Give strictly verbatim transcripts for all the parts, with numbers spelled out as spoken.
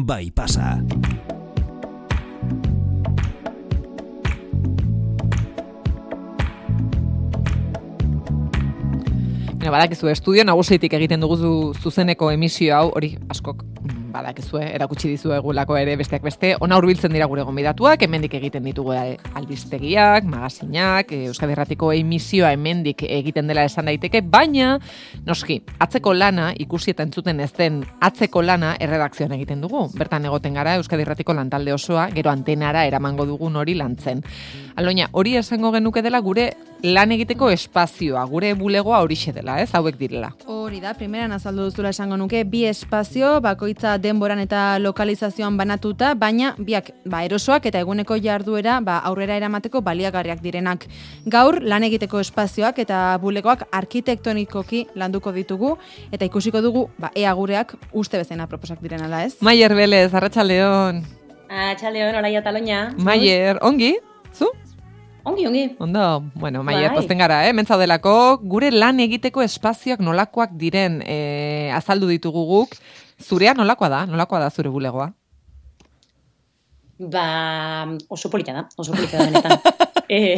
bai pasa. Badakizu, estudio nagusitik egiten dugu zuzeneko emisio hau, hori askok badakizue, erakutsi dizuegulako ere besteak beste, ona hurbiltzen dira gure gonbidatuak, hemendik egiten ditugu albistegiak, magazinak, Euskadi Irratiko emisioa hemendik egiten dela esan daiteke, baina, noski, atzeko lana, ikusi eta entzuten ez den atzeko lana erredakzioan egiten dugu. Bertan egoten gara Euskadi Irratiko lantalde osoa, gero antenara eramango dugun hori lantzen. Aloina, hori esango genuke dela gure lan egiteko espazioa, gure bulegoa horixe dela, ez, hauek direla. Hori da, primeran azaldu duzula esango nuke, bi espazio, bakoitza denboran eta lokalizazioan banatuta, baina biak ba, erosoak eta eguneko jarduera ba, aurrera eramateko baliagarriak direnak. Gaur, lan egiteko espazioak eta bulegoak arkitektonikoki landuko ditugu, eta ikusiko dugu, ba, ea gureak uste bezain aproposak diren ala, ez? Maier Belez, Arratsaldeon. Arratsaldeon, Olaia Taloña. Maier, ongi? Zu? Ongi, ongi. Ondo, bueno, Maier, pozten gara, eh? Mentzaudelako, gure lan egiteko espazioak nolakoak diren eh, azaldu ditugu guk. Zurea nolakoa da? Nolakoa da zure bulegoa? Ba, oso polita da, oso polita da benetan. eh,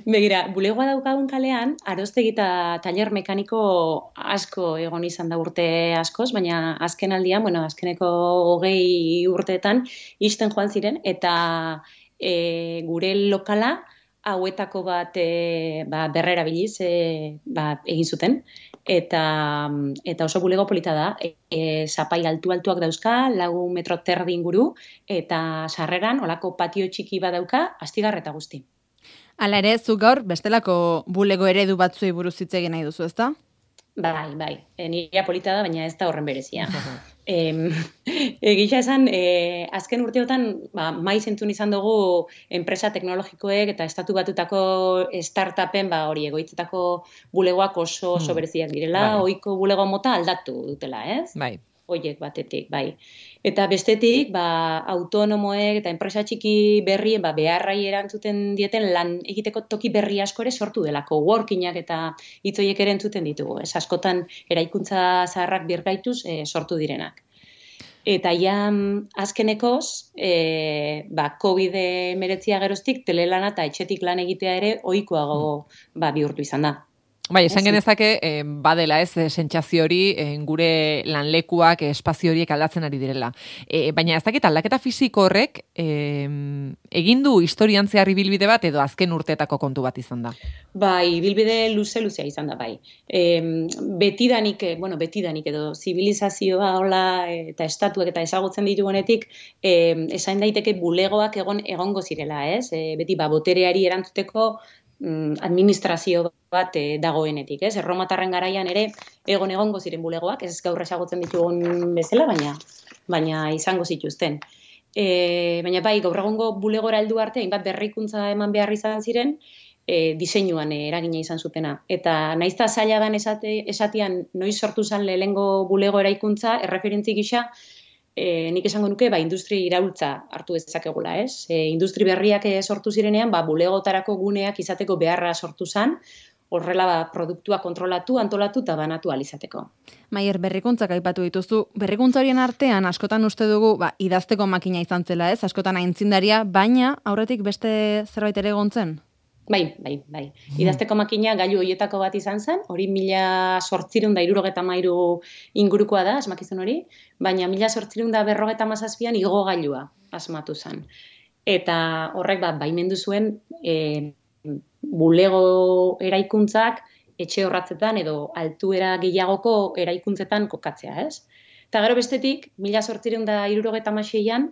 begira, bulegoa daukagun kalean, aroztegi eta taller mekaniko asko egon izan da urte askoz, baina azken aldian, bueno, azkeneko hogei urteetan isten joan ziren, eta E, gure lokala hauetako bat e, ba, berrerabiliz e, ba, egin zuten eta, eta oso bulego polita da. E, e, zapai altu-altuak dauzka, lau metro terdi inguru, eta sarreran olako patio txiki bat dauka, astigarreta guzti. Hala ere, zu gaur bestelako bulego eredu batzuei buruz hitz egin nahi duzu, ezta? Bai, bai. E, nirea polita da, baina ez da horren berezia. E, Egisa esan, e, azken urteotan ba, maiz entzun izan dugu enpresa teknologikoek eta estatu batutako startupen ba, hori egoitzetako bulegoak oso, oso bereziak direla, bai. Ohiko bulego mota aldatu dutela, ez? Bai. Oiek batetik, bai. Eta bestetik, ba, autonomoek eta enpresa txiki berrien ba, beharrai erantzuten dieten lan egiteko toki berri asko ere sortu delako, workingak eta hitzoiek ere entzuten ditugu. Ez askotan eraikuntza zaharrak birgaituz e, sortu direnak. Eta ja azkenekoz, e, ba, covid hemeretzia geroztik telelana eta etxetik lan egitea ere ohikoago ba, bihurtu izan da. Bai, esan genezake, eh, badela ez, sentsazio hori, eh, gure lanlekuak, eh, espazio horiek aldatzen ari direla. Eh, baina ez dakit aldaketa fisiko horrek, eh, egin du historian zehar ibilbide bat edo azken urteetako kontu bat izan da? Bai, ibilbide luze-luzea izan da, bai. E, betidanik, bueno, betidanik edo zibilizazioa hola eta estatuak eta ezagutzen ditugunetik, e, esain daiteke bulegoak egon egongo zirela, ez? E, beti, ba, botereari erantzuteko administrazio bat e, dagoenetik, ez? Erromatarren garaian ere egon egongo ziren bulegoak, ez gaur ezagutzen ditugun bezala, baina baina izango zituzten. E, baina bai, gaur egongo bulegora heldu arte, hainbat berrikuntza eman behar izan ziren, e, diseinuan e, eragina izan zutena. Eta naizta zaila dan esate, esatian noiz sortu zen lehengo bulego eraikuntza, erreferentzi gisa, E, nik esango nuke, ba, industri iraultza hartu dezakegula, ez? E, industri berriak sortu zirenean, ba, bulegotarako guneak izateko beharra sortu zen, horrela ba, produktua kontrolatu, antolatu eta banatu alizateko. Maier, berrikuntzak aipatu dituzu. Berrikuntza horien artean, askotan uste dugu, ba, idazteko makina izan zela, ez? Askotan aintzindaria, baina aurretik beste zerbait ere egontzen? Bai, bai, bai. Idazteko makina gailu horietako bat izan zen, hori mila sortzirun da irurogeta mairu ingurukoa da, asmakizun hori, baina mila sortzirun da berrogeta mazazpian igo gailua asmatu zen. Eta horrek bat, baimendu zuen e, bulego eraikuntzak etxe horratzetan edo altuera gehiagoko eraikuntzetan kokatzea, ez? Eta gero bestetik, mila sortzirun da irurogeta maseian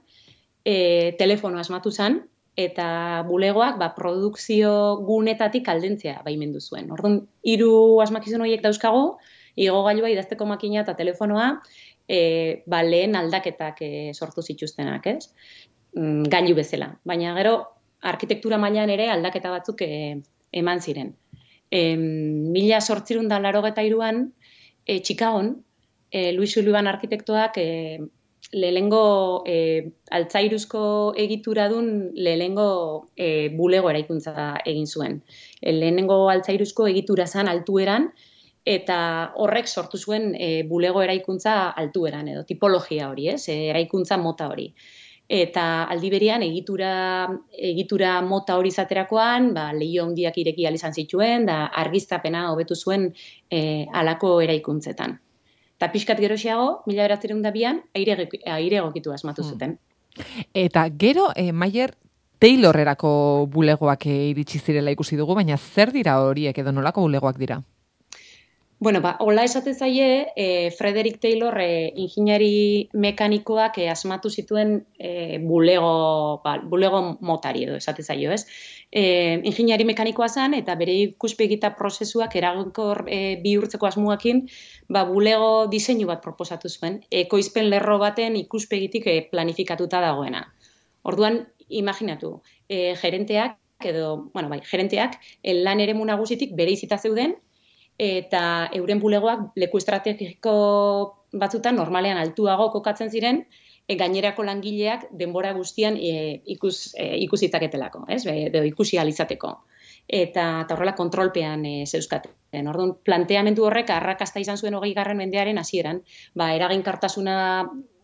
e, telefono asmatu zen, eta bulegoak ba, produkzio gunetatik aldentzea baimendu zuen. Orduan, hiru asmakizun horiek dauzkago, igogailua, idazteko makina eta telefonoa, e, ba, lehen aldaketak e, sortu zituztenak, ez? Mm, gailu bezala. Baina gero, arkitektura mailan ere aldaketa batzuk e, eman ziren. E, mila sortzirun da larogeta iruan, e, Chicagon, e, Luis Sullivan arkitektoak e, lehengo e, altzairuzko egituradun lehengo e, bulego eraikuntza egin zuen. E, lehenengo altzairuzko egitura zan altueran eta horrek sortu zuen e, bulego eraikuntza altueran edo tipologia hori, ez? E, eraikuntza mota hori. Eta aldi berean egitura, egitura mota hori izaterakoan, ba, leiho handiak ireki ahal izan zituen, da argiztapena hobetu zuen e, halako eraikuntzetan. Eta pixkat geroxiago, mila bederatziehun eta bian, aire, aire egokitu asmatu zuten. Eta gero, e, Maier, Taylorrerako bulegoak iritsi zirela ikusi dugu, baina zer dira horiek edo nolako bulegoak dira? Bueno, ba, hola esate zaie, e, Frederick Taylor e, ingeniari mekanikoak e, asmatu zituen e, bulego, ba, bulego motari edo esate zaio, ez? E, ingeniari mekanikoa zen eta bere ikuspegita prozesuak eraginkor e, bihurtzeko asmoakin, ba, bulego diseinu bat proposatu zuen, ekoizpen lerro baten ikuspegitik e, planifikatuta dagoena. Orduan, imaginatu, e, gerenteak edo, bueno, bai, gerenteak lan eremu nagusitik bereizita zeuden, eta euren bulegoak leku estrategiko batzutan normalean altuago kokatzen ziren, e, gainerako langileak denbora guztian e, ikus, e, ikusitzaketelako, ez? Edo ikusi ahal izateko. Eta, eta horrela kontrolpean e, zeuzkaten. Orduan, planteamendu horrek arrakasta izan zuen hogei garren mendearen hasieran, ba, eraginkartasuna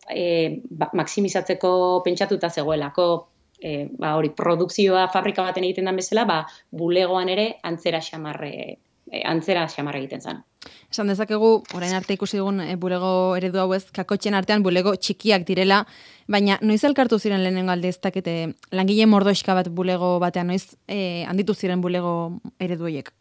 e, ba, maximizatzeko pentsatuta zegoelako, e, ba, hori, produkzioa fabrika baten egiten den bezala, ba, bulegoan ere antzera xamarre antzera xamar egiten zen. Esan dezakegu, orain arte ikusi dugun e, bulego eredu hau ez, kakotxen artean bulego txikiak direla, baina noiz elkartu ziren lehenengo alde ez dakite langile mordoxka bat bulego batean, noiz e, handitu ziren bulego eredu horiek?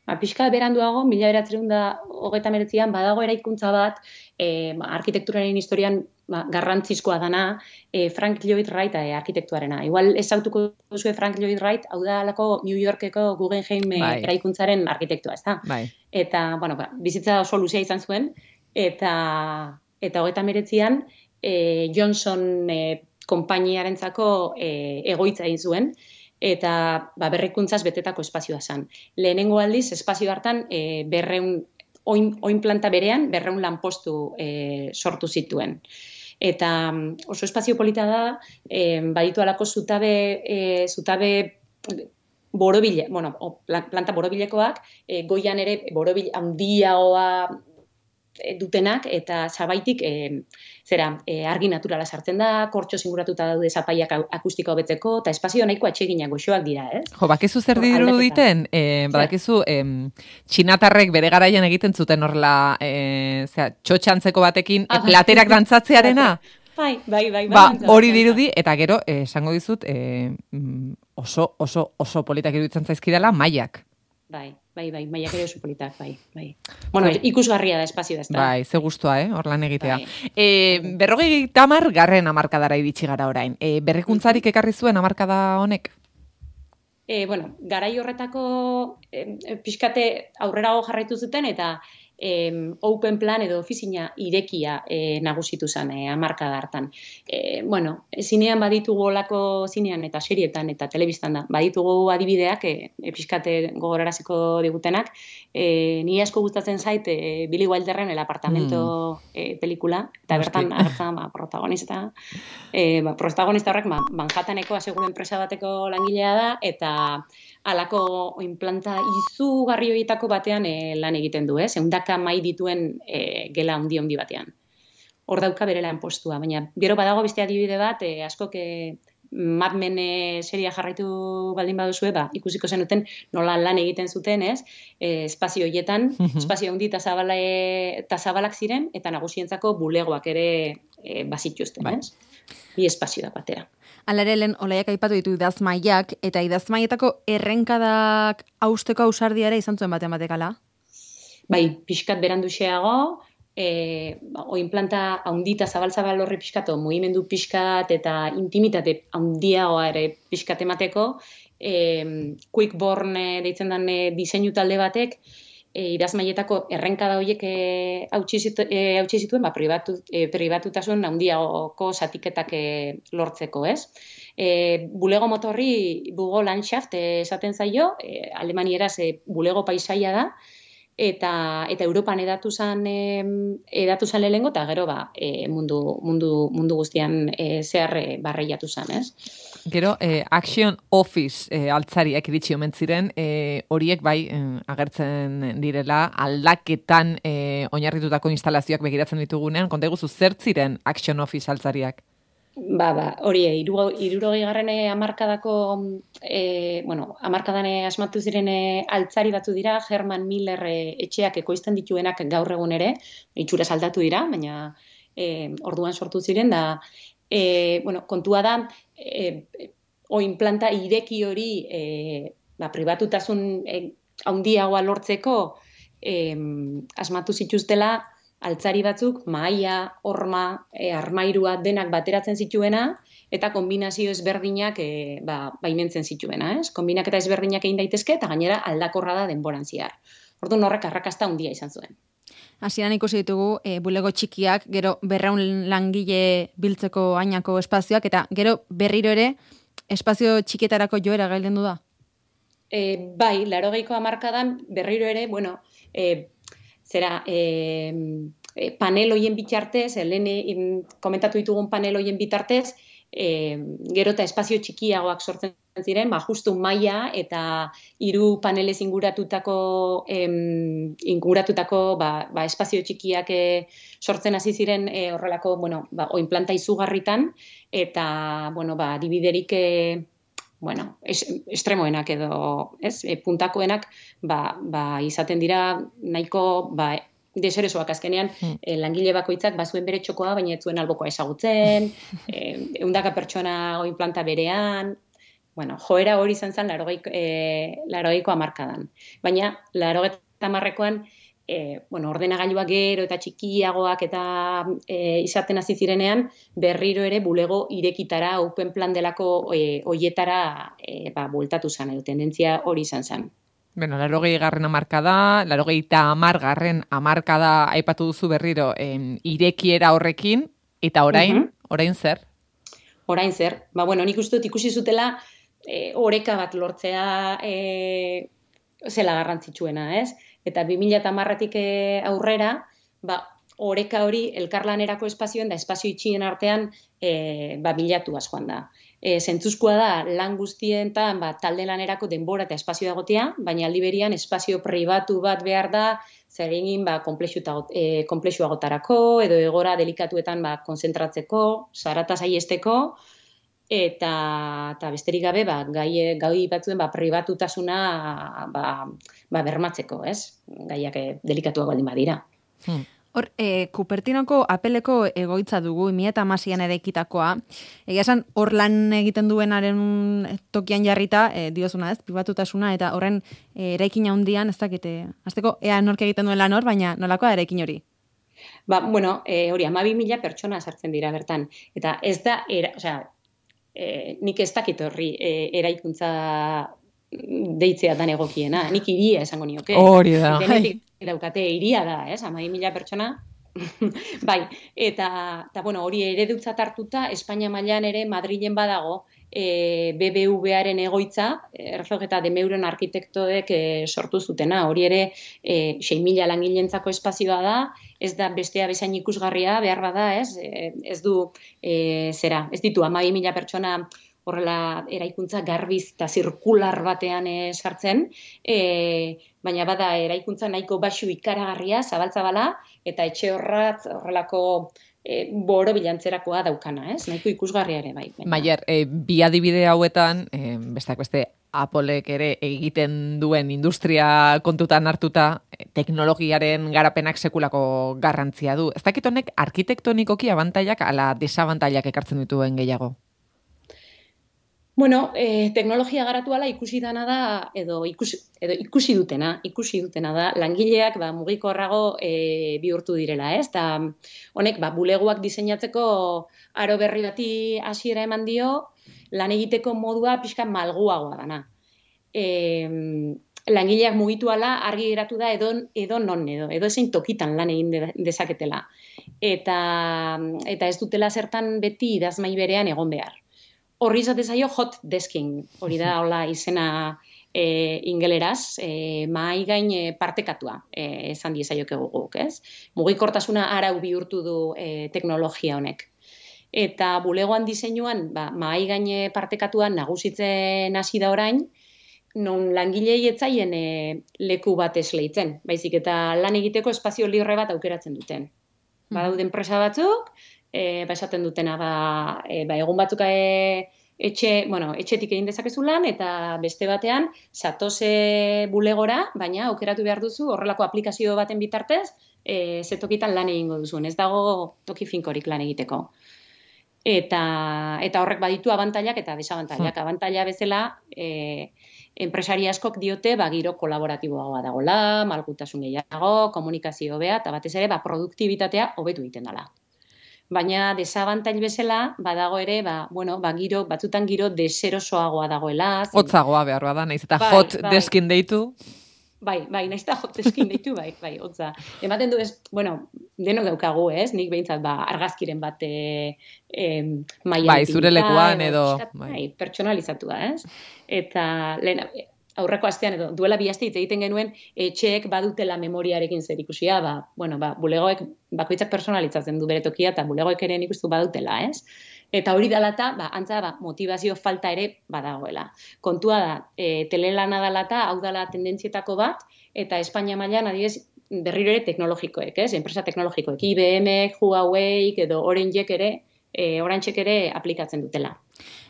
Ba, pixka beranduago, mila bederatziehun eta hogeita hemeretzian badago eraikuntza bat, e, arkitekturaren historian ba, garrantzizkoa dana, e, Frank Lloyd Wright e, arkitektuarena. Igual ezautuko duzue Frank Lloyd Wright, hau da alako New Yorkeko Guggenheim e, bai. eraikuntzaren arkitektua, ez da? Bai. Eta, bueno, ba, bizitza oso luzea izan zuen, eta eta hogeita hemeretzian e, Johnson e, konpainiarentzako e, egoitza egin zuen, eta ba, berrikuntzaz betetako espazioa zen. Lehenengo aldiz, espazio hartan e, berreun, oin, oin planta berean, berreun lanpostu e, sortu zituen. Eta oso espazio polita da, e, baditu alako zutabe, e, zutabe borobile, bueno, o, planta borobilekoak, e, goian ere borobil handiagoa dutenak, eta zabaitik e, zera, e, argi naturala sartzen da, kortxo zinguratuta daude zapaiak akustiko hobetzeko, eta espazio nahiko atseginak goxoak dira, ez? Jo, bakizu zer diru diten, e, badakizu, e, txinatarrek bere garaian egiten zuten horrela, e, zera, txotxantzeko batekin, ah, platerak dantzatzearena? Bai, bai, bai. Ba, hori dirudi, eta gero, esango dizut, e, oso, oso, oso politak iruditzen zaizkidala, maiak. Bai, bai, bai, maiak ere oso politak, bai, bai. Bueno, bai. Ikusgarria da espazio da, ez da. Bai, ze guztua, eh, hor lan egitea. Bai. E, berrogei tamar garren amarkadara iritsi gara orain. E, berrikuntzarik ekarri zuen amarkada honek? E, bueno, garai horretako e, pixkate aurrerago jarraitu zuten, eta e, open plan edo ofizina irekia e, nagusitu zen e, hamarkada hartan. E, bueno, zinean baditugu olako zinean eta serietan eta telebistan da, baditugu adibideak, e, e, pixkate gogoraraziko digutenak, e, ni asko gustatzen zait e, Billy Wilderren El apartamento mm. e, pelikula, eta bertan hartan ba, protagonista, e, ba, protagonista horrek ba, Manhattaneko aseguru enpresa bateko langilea da, eta halako inplanta izugarri horietako batean e, lan egiten du, ez? Ehundaka mai dituen e, gela handi handi batean. Hor dauka bere lan postua, baina gero badago beste adibide bat, e, askok e, Mad Men e, seria jarraitu baldin baduzue, ba, ikusiko zenuten nola lan egiten zuten, ez? E, espazio horietan, espazio handi eta zabala, e, zabalak ziren, eta nagusientzako bulegoak ere e, bazituzten, ez? Bi espazio da batera. Alare lehen, olaiak aipatu ditu idazmaiak, eta idazmaietako errenkadak hausteko ausardiara izan zuen batean batekala? Bai, pixkat beranduxeago, e, oin planta haundita zabal-zabal horri pixkato, mugimendu pixkat eta intimitate haundiagoa ere pixkat emateko, e, Quickborn deitzen den e, diseinu talde batek, e, idazmaietako errenkada horiek e, hautsi zitu, e, zituen, ba, pribatu, e, pribatutasun handiagoko zatiketak e, lortzeko, ez? E, bulego motorri Bugo Landschaft e, esaten zaio, e, alemanieraz e, bulego paisaia da, eta eta Europan edatu zan e, edatu zan lehengo eta gero ba e, mundu mundu mundu guztian e, zehar e, barreiatu zan, ez? Gero, eh, Action Office eh, altzariak iritsi omen ziren, eh, horiek bai eh, agertzen direla aldaketan eh, oinarritutako instalazioak begiratzen ditugunean, konta iguzu zer ziren Action Office altzariak? Ba, ba, hori, hirurogei garren hamarkadako, e, bueno, hamarkadan asmatu ziren e, altzari batzu dira, Herman Miller e, etxeak ekoizten dituenak gaur egun ere, itxura aldatu dira, baina e, orduan sortu ziren, da, e, bueno, kontua da, e, oin planta ireki hori, e, ba, pribatutasun e, handiagoa lortzeko, e, asmatu zituztela, altzari batzuk, mahaia, horma, e, armairua denak bateratzen zituena, eta kombinazio ezberdinak e, ba, baimentzen zituena, ez? Kombinaketa ezberdinak egin daitezke, eta gainera aldakorra da denboran zehar. Orduan horrek arrakasta handia izan zuen. Hasieran ikusi ditugu e, bulego txikiak, gero berrehun langile biltzeko ainako espazioak, eta gero berriro ere espazio txikietarako joera gailendu da? E, bai, laurogeiko hamarkadan berriro ere, bueno, e, zera, e, e, panel hoien bitartez, lehen komentatu ditugun panel hoien bitartez, e, gero eta espazio txikiagoak sortzen ziren, ba, justu maila eta hiru panelez inguratutako, em, inguratutako ba, ba, espazio txikiak e, sortzen hasi ziren e, horrelako, bueno, ba, oinplanta izugarritan, eta, bueno, ba, dibiderik e, bueno, es, estremoenak edo, ez, e, puntakoenak, ba, ba, izaten dira nahiko, ba, deseresoak azkenean, hmm. e, langile bakoitzak bazuen bere txokoa, baina ez zuen albokoa ezagutzen, e, eundaka pertsona oin planta berean, bueno, joera hori izan zen larogeiko, e, larogeiko hamarkadan. Baina, larogeita hamarrekoan, E, bueno, ordenagailuak gero eta txikiagoak eta e, izaten hasi zirenean, berriro ere bulego irekitara, open plan delako e, oietara e, ba, bueltatu zen, edo tendentzia hori izan zen. Bueno, larogei garren amarkada, larogei eta amar garren amarkada aipatu duzu berriro em, irekiera horrekin, eta orain, uh-huh. orain zer? Orain zer, ba, bueno, nik uste dut ikusi zutela e, oreka bat lortzea e, zela garrantzitsuena, ez? Eta bi mila hamarretik aurrera, ba, oreka hori elkarlanerako espazioen da espazio itxien artean e, ba, bilatuaz joan da. E, zentzuzkoa da lan guztientan ba, talde lanerako denbora eta espazio egotea, baina aldi berian espazio pribatu bat behar da, zer egin ba, e, konplexuagotarako, edo egora delikatuetan ba, konzentratzeko, zarata saiesteko, eta, eta besterik gabe ba, gai, gai batzuen ba, pribatutasuna ba, ba, bermatzeko, ez? Gaiak delikatuak baldin badira. Hmm. Hor, e, Kupertinoko apeleko egoitza dugu, bi mila hamaseian eraikitakoa. Egia esan, hor lan egiten duenaren tokian jarrita, e, diozuna ez, pribatutasuna, eta horren e, eraikina handian, ez dakite, azteko, ea nork egiten duen lan hor, baina nolakoa eraikin hori? Ba, bueno, e, hori, hamabi mila pertsona sartzen dira bertan. Eta ez da, era, osea, E, nik ez dakit horri e, eraikuntza deitzea dan egokiena, nik iria esango nioke. Hori da. Denetik daukate iria da, ez, hamabi mila pertsona. Bai, eta, eta bueno, hori eredutzat hartuta, Espainia mailan ere Madrilen badago, e, B B V-aren egoitza, Herzog eta de Meuron arkitektoek e, sortu zutena, hori ere e, sei mila langilentzako espazioa da, ez da bestea bezain ikusgarria, behar bada, ez, e, ez du, e, zera, ez ditu hamabi mila pertsona horrela eraikuntza garbiz eta zirkular batean e, sartzen, e, baina bada eraikuntza nahiko baxu ikaragarria, zabaltzabala, eta etxe horrat horrelako e, boro bilantzerakoa daukana, ez? Nahiko ikusgarria ere, bai. Maier, e, bi adibide hauetan, e, besteak beste, Applek ere egiten duen industria kontutan hartuta, teknologiaren garapenak sekulako garrantzia du. Ez dakit honek arkitektonikoki abantailak ala desabantailak ekartzen dituen gehiago? Bueno, eh, teknologia garatu ala ikusi dana da, edo ikusi, edo ikusi dutena, ikusi dutena da, langileak ba, mugikorrago e, bihurtu direla, ez? Ta honek, ba, bulegoak diseinatzeko aro berri bati hasiera eman dio, lan egiteko modua pixka malguagoa dana. E, langileak mugitu ala argi geratu da edo, edo non edo, edo ezein tokitan lan egin dezaketela. Eta, eta ez dutela zertan beti idazmai berean egon behar. Horri izate zaio hot desking, hori da hola izena e, ingeleraz, e, mahai gain e, partekatua e, esan diezaiokegu guk, ez? Mugikortasuna arau bihurtu du e, teknologia honek. Eta bulegoan diseinuan, ba, mahai gaine partekatuan nagusitzen hasi da orain, non langilei etzaien e, leku bat esleitzen, baizik eta lan egiteko espazio libre bat aukeratzen duten. Badaude enpresa batzuk, e, ba esaten dutena, ba, e, ba egun batzuk e, etxe, bueno, etxetik egin dezakezu lan, eta beste batean, satose bulegora, baina aukeratu behar duzu horrelako aplikazio baten bitartez, e, ze tokitan lan egingo duzuen, ez dago toki finkorik lan egiteko. Eta, eta horrek baditu abantailak eta desabantailak. Abantaila bezala, e, enpresari askok diote ba, giro kolaboratiboagoa dagoela, malgutasun gehiago, komunikazio hobea, eta batez ere ba, produktibitatea hobetu egiten dela. Baina desabantail bezala, badago ere, ba, bueno, ba, giro, batzutan giro deserosoagoa dagoela. Hotzagoa behar da, naiz eta bai, hot bai. Deskin deitu. Bai, bai, naiz eta hot deskin deitu, bai, bai, hotza. Ematen du, ez, bueno, denok daukagu, ez? Nik behintzat, ba, argazkiren bat e, e, maian bai, zure lekuan edo... Bai, bai pertsonalizatua, ez? Eta, lehen, aurreko astean edo, duela bi aste hitz egiten genuen, etxeek badutela memoriarekin zer ikusia, ba, bueno, ba, bulegoek bakoitzak personalizatzen du bere tokia, eta bulegoek ere nik uste badutela, ez? Eta hori dalata, ba, antza, ba, motivazio falta ere badagoela. Kontua da, e, telelana dalata, hau dala tendentzietako bat, eta Espainia mailan adibidez berriro ere teknologikoek, ez? Enpresa teknologikoek, I B M, Huawei, edo Orangek ere, e, Orangek ere aplikatzen dutela.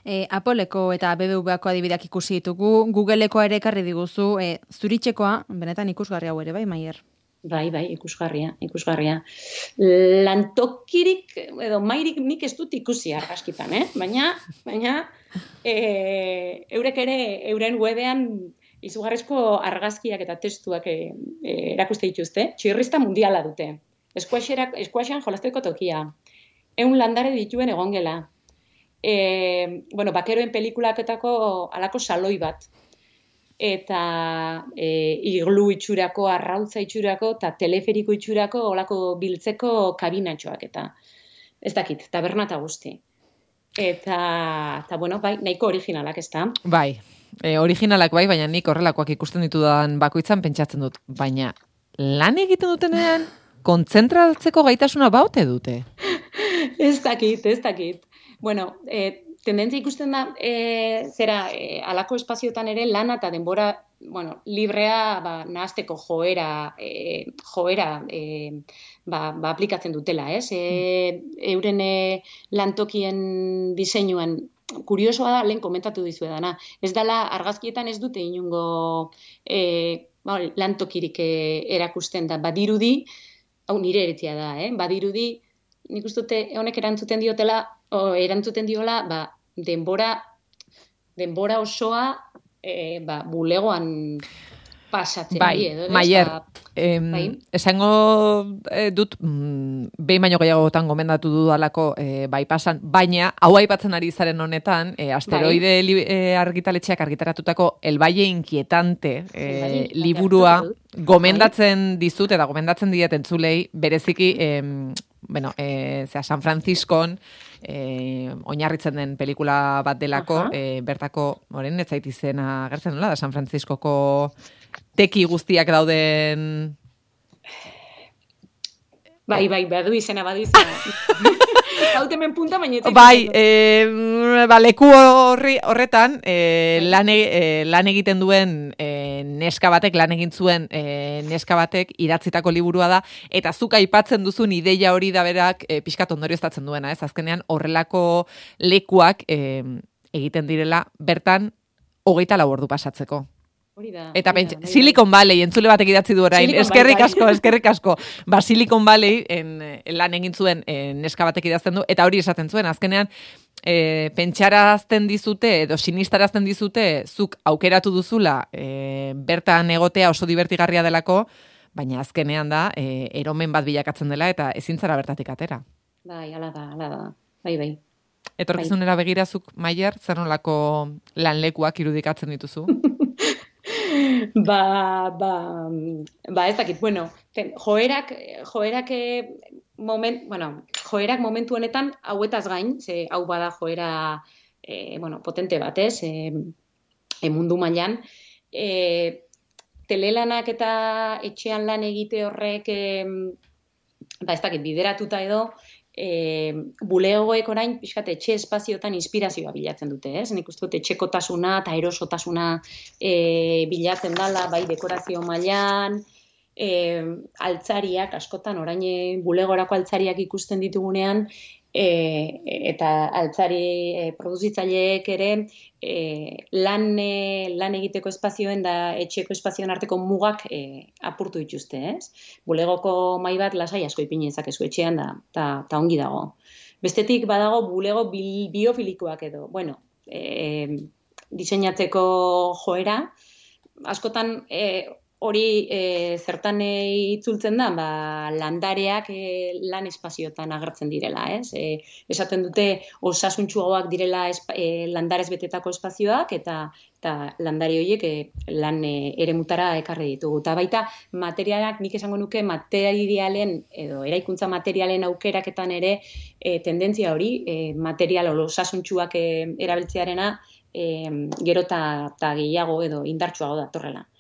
E, Appleko eta B B V-ako adibideak ikusi ditugu, Googleeko ere ekarri diguzu, e, zuritxekoa, benetan ikusgarri hau ere, bai, Maier? Bai, bai, ikusgarria, ikusgarria. Lantokirik, edo mairik nik ez dut ikusi argazkitan, eh? Baina, baina, e, eurek ere, euren webean izugarrizko argazkiak eta testuak e, e, erakuste dituzte, txirrista mundiala dute. Eskuaxean jolasteko tokia. Eun landare dituen egongela. E, bueno, bakeroen pelikulaketako alako saloi bat. Eta e, iglu itxurako, arrautza itxurako, eta teleferiko itxurako, olako biltzeko kabinatxoak, eta ez dakit, taberna eta guzti. Eta, eta bueno, bai, nahiko originalak, ez da? Bai, e, originalak bai, baina nik horrelakoak ikusten ditudan bakoitzan pentsatzen dut. Baina, lan egiten dutenean, kontzentratzeko gaitasuna baute dute? Ez dakit, ez dakit. Bueno, e, tendentzia ikusten da, e, zera, e, alako espaziotan ere lana eta denbora, bueno, librea, ba, nahazteko joera, e, joera, e, ba, ba, aplikatzen dutela, ez? E, euren e, lantokien diseinuan, kuriosoa da, lehen komentatu dizuedana. Ez dela, argazkietan ez dute inungo e, ba, lantokirik e, erakusten da, badirudi, hau nire eretzia da, eh? Badirudi, nik uste dute honek erantzuten diotela, o, erantzuten diola, ba, denbora, denbora osoa e, ba, bulegoan pasatzen. Bai, edo, Maier, ba, em, bai? esango eh, dut, mm, behin baino gehiagotan gomendatu dudalako eh, bai pasan, baina hau aipatzen ari zaren honetan, eh, asteroide bai. eh, argitaletxeak argitaratutako El Valle Inquietante eh, liburua gomendatzen bai. dizut, eta gomendatzen diet entzulei, bereziki, eh, bueno, eh, zera, San Franciscon, eh, oinarritzen den pelikula bat delako, eh, bertako, moren, ez zait izena agertzen nola, da San Franciscoko teki guztiak dauden... Bai, bai, badu izena, badu izena. Hautemen punta, baina... Bai, e, ba, leku horri, horretan, e, lan, e, lan egiten duen e, neska batek, lan egin zuen e, neska batek idatzitako liburua da, eta zuk aipatzen duzun ideia hori da berak e, pixkat ondorioztatzen duena, ez? Azkenean horrelako lekuak e, egiten direla bertan hogeita lau ordu pasatzeko. Da, eta pentsa, Silicon Valley, entzule batek idatzi du orain, eskerrik asko, eskerrik asko. Ba, Silicon Valley en, en lan egin zuen en, neska batek idazten du, eta hori esaten zuen, azkenean, e, pentsarazten dizute, edo sinistarazten dizute, zuk aukeratu duzula, e, bertan egotea oso divertigarria delako, baina azkenean da, e, eromen bat bilakatzen dela, eta ezin zara bertatik atera. Bai, ala da, ala da, bai, bai. Etorkizunera begirazuk, Maier, zer nolako lanlekuak irudikatzen dituzu? Ba, ba, ba, ez dakit, bueno, ten, joerak, joerak, moment, bueno, joerak momentu honetan hauetaz gain, ze hau bada joera, e, bueno, potente bat, ez, e, e mundu mailan, e, telelanak eta etxean lan egite horrek, e, ba ez dakit, bideratuta edo, E, bulegoek orain pixkat etxe espaziotan inspirazioa bilatzen dute, ez? Nik uste dut etxekotasuna eta erosotasuna e, bilatzen dala, bai dekorazio mailan, e, altzariak, askotan orain bulegorako altzariak ikusten ditugunean, e, eta altzari e, produzitzaileek ere e, lan, e, lan egiteko espazioen da etxeko espazioen arteko mugak e, apurtu dituzte, ez? Bulegoko mahai bat lasai asko ipini dezakezu etxean da, ta, ta ongi dago. Bestetik badago bulego bi, biofilikoak edo, bueno, e, diseinatzeko joera, askotan e, hori e, zertan e, itzultzen da, ba, landareak e, lan espazioetan agertzen direla, ez? E, esaten dute osasuntsuagoak direla espa, e, landarez betetako espazioak, eta, eta landare horiek e, lan e, eremutara ekarri ditugu. Eta baita materialak, nik esango nuke materialen, edo eraikuntza materialen aukeraketan ere e, tendentzia hori, e, material osasuntsuak e, erabiltzearena e, gero eta gehiago edo indartsuago datorrela.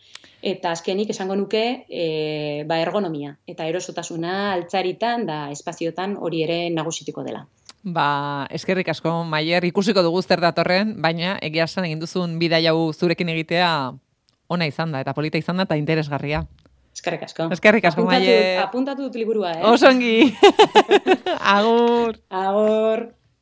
Eta azkenik esango nuke e, ba ergonomia eta erosotasuna altzaritan da espaziotan hori ere nagusituko dela. Ba, eskerrik asko, Maier, ikusiko dugu zer datorren, baina egia esan egin duzun bidaia hau zurekin egitea ona izan da, eta polita izan da, eta interesgarria. Eskerrik asko. Eskerrik asko, apuntatu, Maier. Apuntatu dut liburua, eh? Osongi. Agur. Agur.